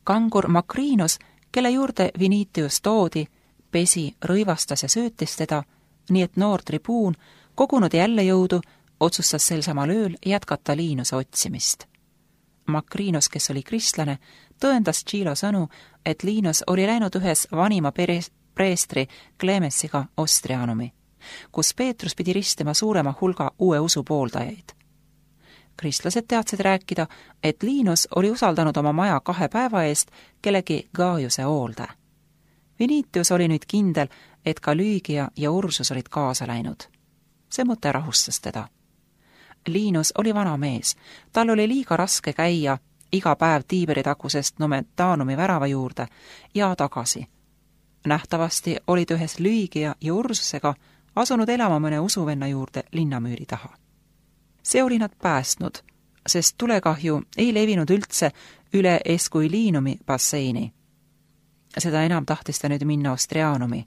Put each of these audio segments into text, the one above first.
kangur Makrinos, kelle juurde Vinitius toodi, pesi, rõivastas ja söötis teda, nii et noor tribuun, kogunud jälle jõudu, otsustas sel samal ööl jätkata Liinuse otsimist. Makrinos, kes oli kristlane, tõendas Tšilo sõnu, et Liinus oli läinud ühes vanima preestri Clemensiga Ostrianumi, kus Peetrus pidi ristima suurema hulga uue usu pooldajaid. Kristlased teadsid rääkida, et Liinus oli usaldanud oma maja 2 päeva eest kellegi Gaiuse hoolde. Vinitius oli nüüd kindel, et ka Lüügia ja Ursus olid kaasa läinud. See mõte rahustas teda. Liinus oli vana mees, tal oli liiga raske käia iga päev Tiiberi tagusest Nomentanumi värava juurde ja tagasi. Nähtavasti olid ühes Lüügia ja Ursusega asunud elama mõne usuvenna juurde linnamüüri taha. See oli nad päästnud, sest tulekahju ei levinud üldse üle Esquiliinumi basseini. Seda enam tahtis ta nüüd minna Ostrianumi.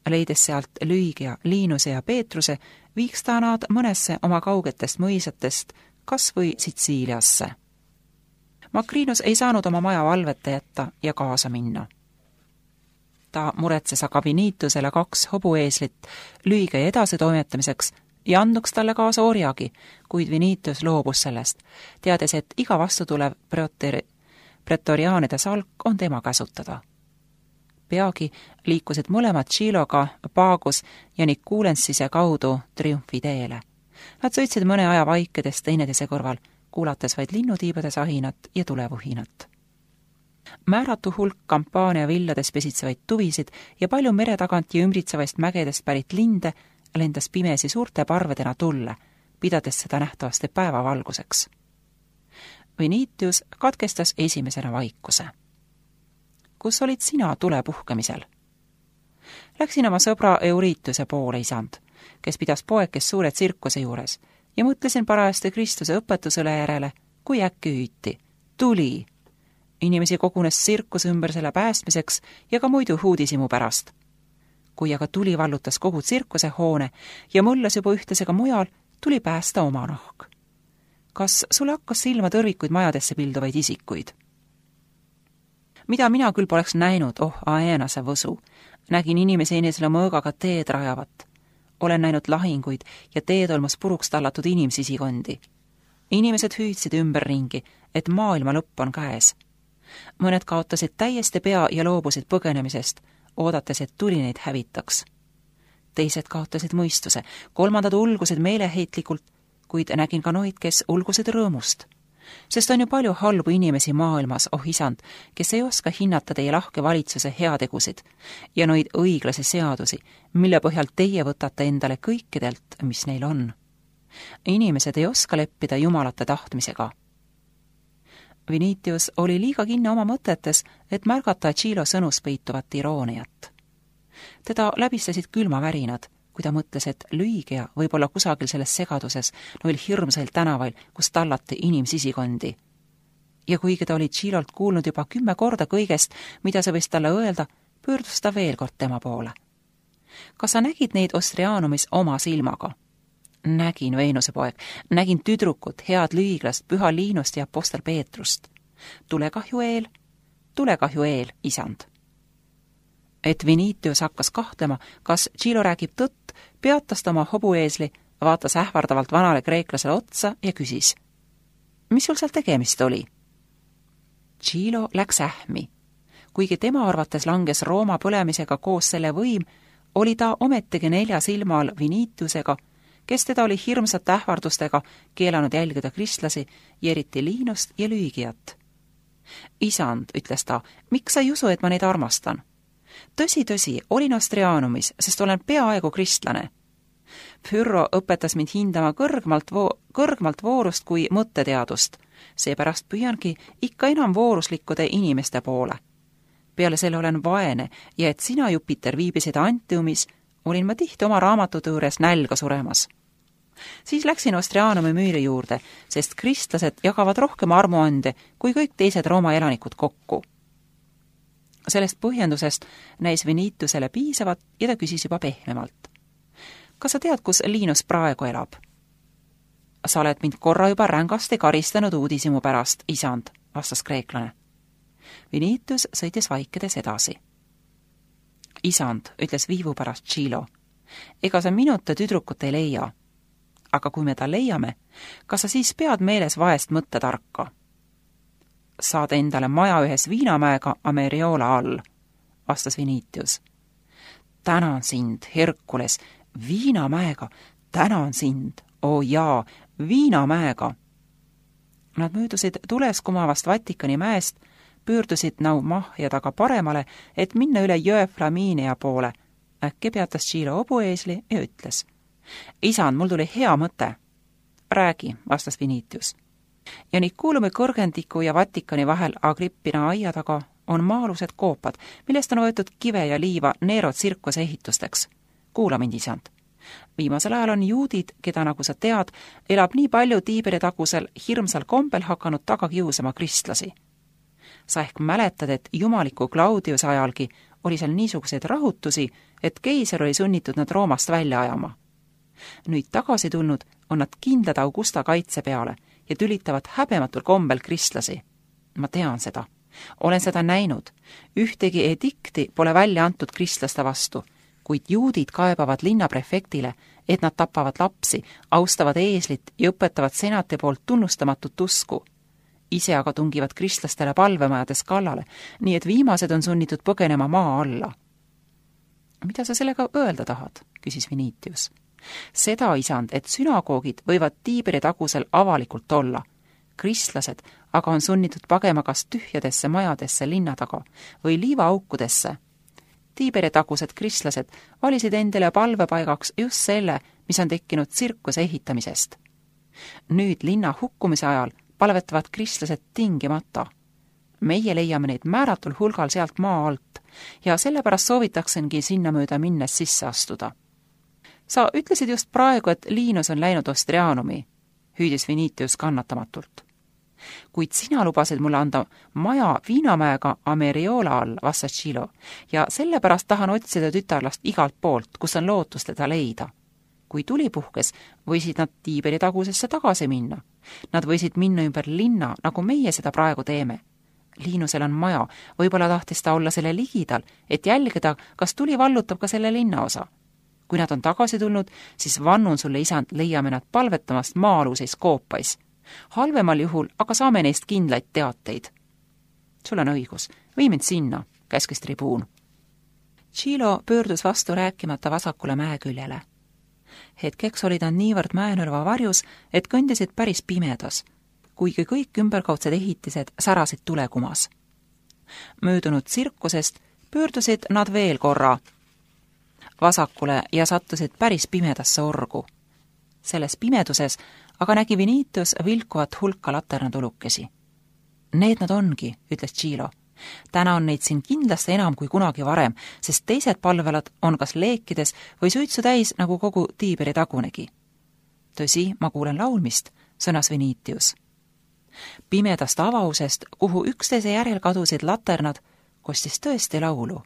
Leides sealt Lüügia, Liinuse ja Peetruse, viiks ta nad mõnesse oma kaugetest mõisatest, kas või Sitsiiliasse. Makrinus ei saanud oma maja valveta jätta ja kaasa minna. Ta muretses aga Vinitusele 2 hobueeslit Lüügia edasi toimetamiseks ja andnuks talle kaasa orjagi, kuid Vinitus loobus sellest, teades, et iga vastutulev pretoriaanide salk on tema käsutada. Peagi liikusid mõlemad Tšiloga, Pagus ja Nikulensise kaudu triumfiteele. Nad sõitsid mõne aja vaikedes teineteise kõrval, kuulates vaid linnutiibade sahinat ja tulevuhinat. Määratu hulk kampaania villades pesitsevaid tuvisid ja palju mere tagant ja ümbritsevaist mägedest pärit linde lendas pimesi suurte parvedena tulle, pidades seda nähtavasti päevavalguseks. Vinitius katkestas esimesena vaikuse. Kus olid sina tule puhkemisel? Läksin oma sõbra Eurituse poole, isand, kes pidas poekest suure tsirkuse juures, ja mõtlesin parajasti Kristuse õpetusele järele, kui äkki hüüti. Tuli! Inimesi kogunes tsirkus ümber selle päästmiseks ja ka muidu huudisimu pärast. Kui aga tuli vallutas kogu tsirkuse hoone ja mõllas juba ühtlasega mujal, tuli päästa oma nahk. Kas sulle hakkas silma tõrvikuid majadesse pilduvaid isikuid? Mida mina küll poleks näinud, Aenase võsu. Nägin inimesi enesele mõõgaga teed rajavat. Olen näinud lahinguid ja teetolmus puruks tallatud inimsisikondi. Inimesed hüüdsid ümberringi, et maailma lõpp on käes. Mõned kaotasid täiesti pea ja loobusid põgenemisest, oodates, et tuli neid hävitaks. Teised kaotasid mõistuse, 3 ulgusid meeleheitlikult, kuid nägin ka noid, kes ulgusid rõõmust. Sest on ju palju halbu inimesi maailmas, isand, kes ei oska hinnata teie lahke valitsuse heategusid ja noid õiglase seadusi, mille põhjal teie võtate endale kõikidelt, mis neil on. Inimesed ei oska leppida jumalate tahtmisega. Vinitius oli liiga kinni oma mõtetes, et märgata Tšilo sõnus peituvat irooniat. Teda läbistasid külmavärinad, kui ta mõtles, et Lüügia võib olla kusagil selles segaduses noil hirmsail tänavail, kus tallati inimsisikondi. Ja kuigi ta oli Tšilolt kuulnud juba 10 korda kõigest, mida see võis talle öelda, pöördus ta veel kord tema poole. Kas sa nägid neid Ostrianumis oma silmaga? Nägin, Veenuse poeg, nägin tüdrukut, head lüüglast, püha Liinust ja apostel Peetrust. Tulekahju eel, isand. Et Vinitius hakkas kahtlema, kas Tšilo räägib tõtt, peatas ta oma hobueesli, vaatas ähvardavalt vanale kreeklasele otsa ja küsis. Mis sul seal tegemist oli? Tšilo läks ähmi. Kuigi tema arvates langes Rooma põlemisega koos selle võim, oli ta ometigi 4 silma all Vinitiusega, kes teda oli hirmsate ähvardustega keelanud jälgida kristlasi ja eriti Liinust ja Lüügiat. Isand, ütles ta, miks sa ei usu, et ma neid armastan? Tõsi, olin Ostrianumis, sest olen peaaegu kristlane. Pyrrho õpetas mind hindama kõrgmalt voorust kui mõtteteadust, seepärast püüangi ikka enam vooruslikkude inimeste poole. Peale selle olen vaene ja et sina, Jupiter, viibisid Antiumis, olin ma tihti oma raamatute juures nälga suremas. Siis läksin Ostrianumi müüri juurde, sest kristlased jagavad rohkem armuande kui kõik teised Rooma elanikud kokku. Sellest põhjendusest näis Vinitusele piisavat ja ta küsis juba pehmemalt. Kas sa tead, kus Liinus praegu elab? Sa oled mind korra juba rängasti karistanud uudisimu pärast, isand, vastas kreeklane. Vinitius sõitis vaikides edasi. Isand, ütles viivu pärast Chilo, ega sa minuta tüdrukut ei leia. Aga kui me ta leiame, kas sa siis pead meeles vaest mõttetarka? Saad endale maja ühes Viinamäega Ameriola all, vastas Vinitius. Tänan sind, Herkules, Viinamäega, tänan sind, oo jaa, Viinamäega. Nad möödusid tules kumavast Vatikani mäest, pöördusid Naumahja taga paremale, et minna üle jõe Flaminia poole. Äkki peatas Chilo hobueesli ja ütles. Isand, mul tuli hea mõte. Räägi, vastas Vinitius. Ja Nikuulumi kõrgendiku ja Vatikani vahel Agrippina aia taga on maa-alused koopad, millest on võetud kive ja liiva Nero tsirkuse ehitusteks. Kuula mind, isand. Viimasel ajal on juudid, keda, nagu sa tead, elab nii palju Tiiberi tagusel hirmsal kombel hakanud taga kiusama kristlasi. Sa ehk mäletad, et jumaliku Claudiuse ajalgi oli seal niisuguseid rahutusi, et keiser oli sunnitud nad Roomast välja ajama. Nüüd tagasi tulnud on nad kindlad Augusta kaitse peale ja tülitavad häbematul kombel kristlasi. Ma tean seda. Olen seda näinud. Ühtegi edikti pole välja antud kristlaste vastu, kuid juudid kaebavad linnaprefektile, et nad tapavad lapsi, austavad eeslit ja õpetavad senati poolt tunnustamatut usku. Ise aga tungivad kristlastele palvemajades kallale, nii et viimased on sunnitud põgenema maa alla. Mida sa sellega öelda tahad, küsis Vinitius. Seda, isand, et sünagoogid võivad Tiiberi tagusel avalikult olla. Kristlased aga on sunnitud pagema kas tühjadesse majadesse linna taga või liivaaukudesse. Tiiberi tagused kristlased valisid endale palvepaigaks just selle, mis on tekkinud tsirkuse ehitamisest. Nüüd linna hukkumise ajal palvetavad kristlased tingimata. Meie leiame neid määratul hulgal sealt maa alt ja sellepärast soovitaksengi sinna mööda minnes sisse astuda. Sa ütlesid just praegu, et Linus on läinud Ostrianumi, hüüdis Vinitius kannatamatult. Kuid sina lubasid mulle anda maja Viinamäega Ameriola all, vastas Chilo, ja sellepärast tahan otsida tütarlast igalt poolt, kus on lootus teda leida. Kui tuli puhkes, võisid nad Tiiberi tagusesse tagasi minna. Nad võisid minna ümber linna, nagu meie seda praegu teeme. Linusel on maja, võib-olla tahtis ta olla selle ligidal, et jälgida, kas tuli vallutab ka selle linnaosa. Kui nad on tagasi tulnud, siis vannun sulle, isand, leiame nad palvetamast maa-aluseis koopais. Halvemal juhul aga saame neist kindlaid teateid. Sul on õigus, või mind sinna, käskis tribuun. Chilo pöördus vastu rääkimata vasakule mäeküljele. Hetkeks olid nad niivõrd mäenõrva varjus, et kõndisid päris pimedas, kuigi kõik ümberkaudsed ehitised särasid tulekumas. Möödunud tsirkusest pöördusid nad veel korra vasakule ja sattusid päris pimedasse orgu. Selles pimeduses aga nägi Vinitius vilkuvat hulka laternatulukesi. Need nad ongi, ütles Chilo. Täna on neid siin kindlasti enam kui kunagi varem, sest teised palvelad on kas leekides või suitsu täis, nagu kogu Tiiberi tagunegi. Tõsi, ma kuulen laulmist, sõnas Vinitius. Pimedast avausest, kuhu üksteise järel kadusid laternad, kostis tõesti laulu.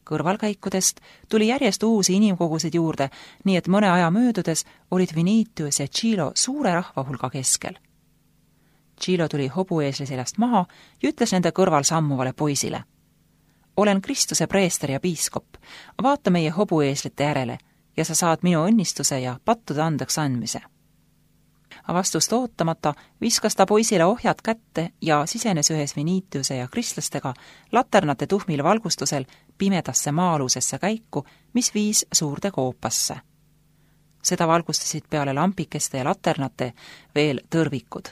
Kõrvalkäikudest tuli järjest uusi inimkogusid juurde, nii et mõne aja möödudes olid Vinitius ja Chilo suure rahvahulga keskel. Chilo tuli hobueesli seljast maha ja ütles nende kõrval sammuvale poisile. Olen Kristuse preester ja piiskop, vaata meie hobueeslite järele ja sa saad minu õnnistuse ja pattude andeks andmise. Vastust ootamata viskas ta poisile ohjad kätte ja sisenes ühes Vinitiuse ja kristlastega laternate tuhmil valgustusel pimedasse maa-alusesse käiku, mis viis suurde koopasse. Seda valgustasid peale lampikeste ja laternate veel tõrvikud.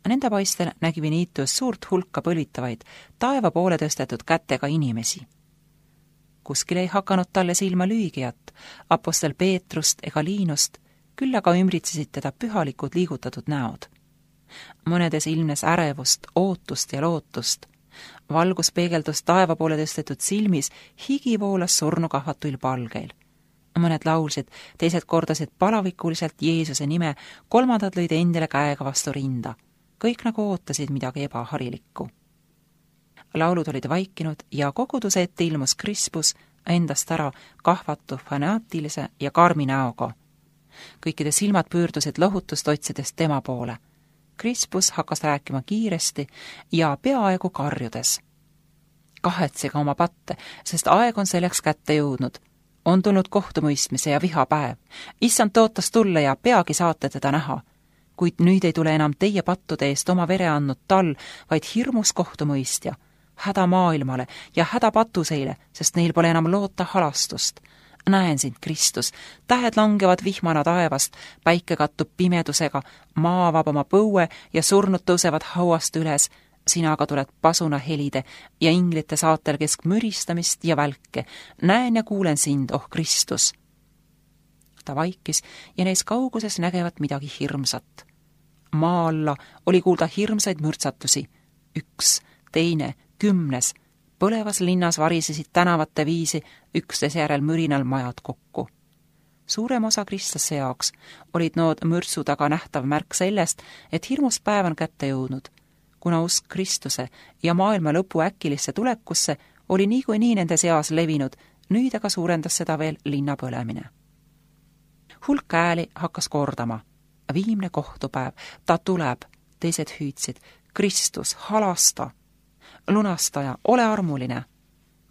Nende paistel nägi Vinitius suurt hulka põlitavaid, taeva poole tõstetud kätega inimesi. Kuskil ei hakanud talle silma lüügijat, apostel Peetrust ega Liinust, küll aga ümbritsesid teda pühalikud liigutatud näod. Mõnedes ilmnes ärevust, ootust ja lootust. Valgus peegeldus taeva poole tõstetud silmis, higi voolas surnukahvatuil palgeil. Mõned laulsid, teised kordasid palavikuliselt Jeesuse nime, kolmandad lõid endile käega vastu rinda. Kõik nagu ootasid midagi ebaharilikku. Laulud olid vaikinud ja koguduse ette ilmus Crispus endast ära kahvatu, fanaatilise ja karmi näoga. Kõikide silmad pöördusid lohutust otsides tema poole. Crispus hakkas rääkima kiiresti ja peaaegu karjudes. Kahetsege oma patte, sest aeg on selleks kätte jõudnud. On tulnud kohtumõistmise ja vihapäev. Issand tõotas tulla ja peagi saate teda näha. Kuid nüüd ei tule enam teie pattude eest oma vere andnud tal, vaid hirmus kohtumõistja. Häda maailmale ja häda patuseile, sest neil pole enam loota halastust. Näen sind, Kristus, tähed langevad vihmana taevast, päike kattub pimedusega, maa avab oma põue ja surnud tõusevad hauast üles, sina aga tuled pasuna helide ja inglite saatel kesk müristamist ja välke. Näen ja kuulen sind, oh Kristus. Ta vaikis ja neis kauguses nägevat midagi hirmsat. Maa alla oli kuulda hirmsaid mürtsatusi. 1, 2, 10. Põlevas linnas varisesid tänavate viisi üksteise järel mürinal majad kokku. Suurem osa kristlase jaoks olid nood mürtsu taga nähtav märk sellest, et hirmus päev on kätte jõudnud. Kuna usk Kristuse ja maailma lõpu äkilisse tulekusse oli niikuinii nende seas levinud, nüüd aga suurendas seda veel linna põlemine. Hulk ääli hakkas kordama. Viimne kohtupäev, ta tuleb, teised hüüdsid, Kristus, halasta, lunastaja, ole armuline.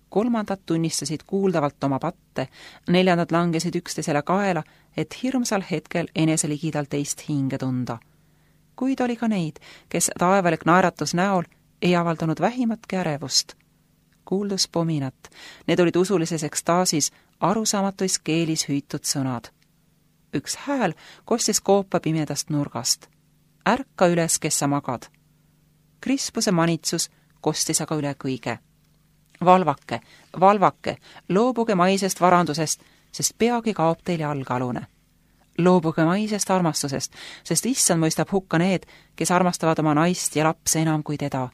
3. tunnistasid kuuldavalt oma patte, 4. langesid üksteisele kaela, et hirmsal hetkel eneseligidal teist hinge tunda. Kuid oli ka neid, kes taevalik naeratus näol ei avaldanud vähimatki ärevust. Kuuldus pominat, need olid usulises ekstaasis arusaamatuis keelis hüütud sõnad. Üks hääl kostis koopa pimedast nurgast. Ärka üles, kes sa magad. Crispuse manitsus kostis aga üle kõige. Valvake, valvake, loobuge maisest varandusest, sest peagi kaob teil jalgealune. Loobuge maisest armastusest, sest issand mõistab hukka need, kes armastavad oma naist ja lapse enam kui teda.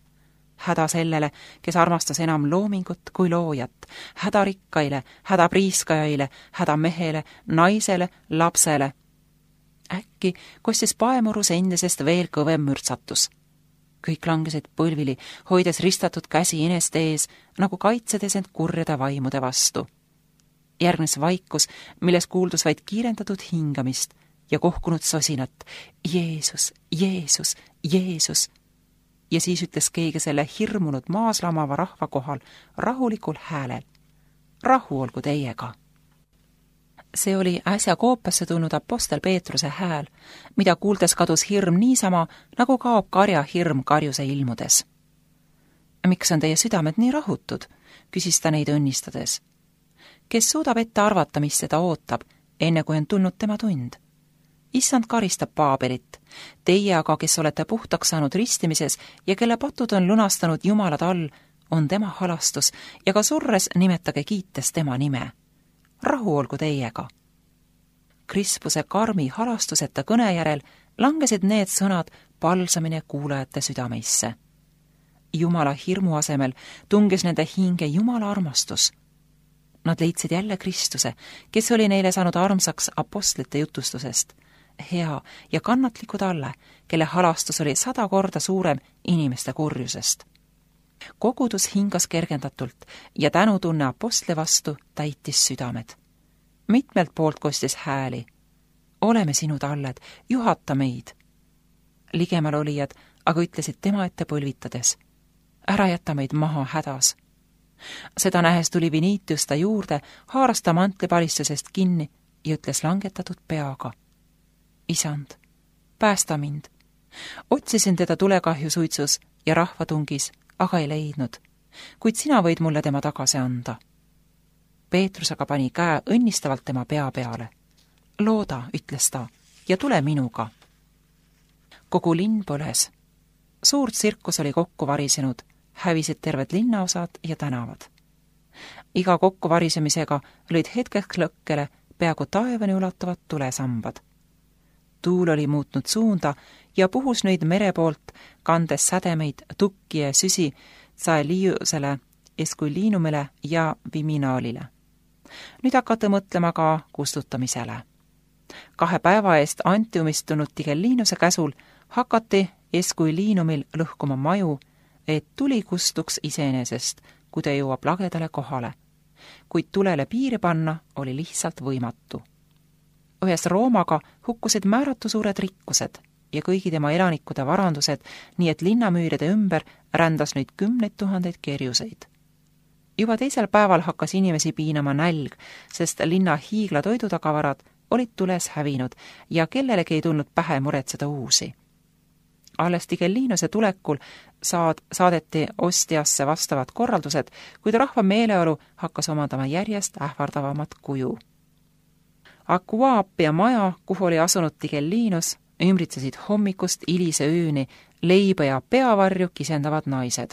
Häda sellele, kes armastas enam loomingut kui loojat. Häda rikkaile, häda priiskajaile, häda mehele, naisele, lapsele. Äkki kostis paemurus endisest veel kõvem mürtsatus. Kõik langesid põlvili, hoides ristatud käsi eneste ees, nagu kaitsedes end kurjade vaimude vastu. Järgnes vaikus, milles kuuldus vaid kiirendatud hingamist ja kohkunud sosinat. Jeesus, Jeesus, Jeesus. Ja siis ütles keegi selle hirmunud maas lamava rahva kohal rahulikul häälel. Rahu olgu teiega. See oli äsja koopasse tulnud apostel Peetruse hääl, mida kuuldes kadus hirm niisama, nagu kaob karja hirm karjuse ilmudes. Miks on teie südamed nii rahutud, küsis ta neid õnnistades. Kes suudab ette arvata, mis seda ootab, enne kui on tulnud tema tund? Issand karistab Paabelit, teie aga, kes olete puhtaks saanud ristimises ja kelle patud on lunastanud Jumalad all, on tema halastus ja ka surres nimetage kiites tema nime. Rahu olgu teiega. Crispuse karmi halastuseta kõne järel langesid need sõnad palsamine kuulajate südameisse. Jumala hirmu asemel tungis nende hinge Jumala armastus. Nad leidsid jälle Kristuse, kes oli neile saanud armsaks apostlite jutustusest. Hea ja kannatliku talle, kelle halastus oli 100 korda suurem inimeste kurjusest. Kogudus hingas kergendatult ja tänutunne apostli vastu täitis südamed. Mitmelt poolt kostis hääli. Oleme sinu talled, juhata meid. Ligemal olijad aga ütlesid tema ette põlvitades. Ära jäta meid maha hädas. Seda nähes tuli Vinitius ta juurde, haaras ta mantlipalistusest kinni ja ütles langetatud peaga. Isand, päästa mind. Otsisin teda tulekahju suitsus ja rahvatungis, aga ei leidnud, kuid sina võid mulle tema tagasi anda. Peetrus aga pani käe õnnistavalt tema pea peale. Looda, ütles ta, ja tule minuga. Kogu linn põles. Suurt tsirkus oli kokku varisenud, hävisid terved linnaosad ja tänavad. Iga kokku varisemisega olid hetkeks lõkkele peaaegu taevani ulatuvad tulesambad. Tuul oli muutnud suunda ja puhus nüüd mere poolt, kandes sädemeid tukki ja süsi Tsaeliusele, Eskuliinumile ja Viminaalile. Nüüd hakata mõtlema ka kustutamisele. 2 päeva eest Antiumist tulnud Tigellinuse käsul hakati Eskuliinumil lõhkuma maju, et tuli kustuks iseenesest, kui ta jõuab lagedale kohale. Kuid tulele piiri panna oli lihtsalt võimatu. Ühes Roomaga hukkusid määratu suured rikkused, ja kõigi tema elanikkude varandused, nii et linnamüüride ümber rändas nüüd 10 000 kerjuseid. Juba teisel päeval hakkas inimesi piinama nälg, sest linna hiigla toidutagavarad olid tules hävinud ja kellelegi ei tulnud pähe muretseda uusi. Alles Tigellinuse tulekul saadeti Ostiasse vastavad korraldused, kuid rahva meeleolu hakkas omandama järjest ähvardavamat kuju. Aquaapia maja, kuhu oli asunud Tigellinus, ümbritsesid hommikust hilise ööni leiba ja peavarju kisendavad naised.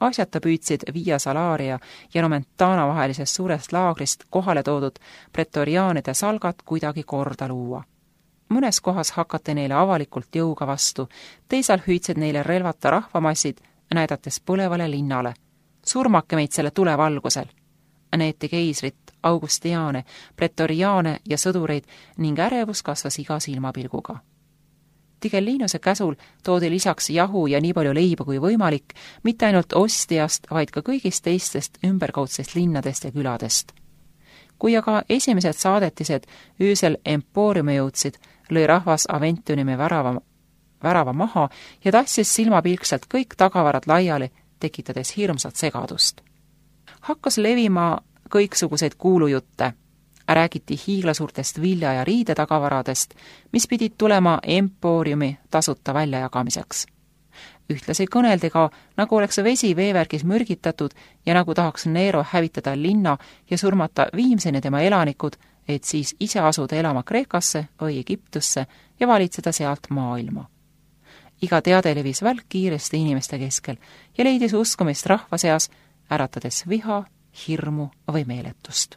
Asjata püüdsid Via Salaria ja Nomentana vahelisest suurest laagrist kohale toodud pretoriaanide salgat kuidagi korda luua. Mõnes kohas hakati neile avalikult jõuga vastu, teisal hüüdsid neile relvata rahvamassid, näidates põlevale linnale. Surmake meid selle tulevalgusel! Neeti keisrit, Augustiane, pretoriaane ja sõdureid ning ärevus kasvas iga silmapilguga. Tigellinuse käsul toodi lisaks jahu ja nii palju leiba kui võimalik, mitte ainult Ostiast, vaid ka kõigist teistest ümberkaudsest linnadest ja küladest. Kui aga esimesed saadetised öösel Emporiumi jõudsid, lõi rahvas Aventiumi värava maha ja tassis silmapilkselt kõik tagavarad laiali, tekitades hirmsat segadust. Hakkas levima kõiksuguseid kuulujutte. Räägiti hiiglasuurtest vilja- ja riidetagavaradest, mis pidid tulema Emporiumi tasuta väljajagamiseks. Ühtlasi kõneldi ka, nagu oleks vesi veevärgis mürgitatud ja nagu tahaks Nero hävitada linna ja surmata viimseni tema elanikud, et siis ise asuda elama Kreekasse või Egiptusse ja valitseda sealt maailma. Iga teade levis välk kiiresti inimeste keskel ja leidis uskumist rahva seas, äratades viha, hirmu või meeletust.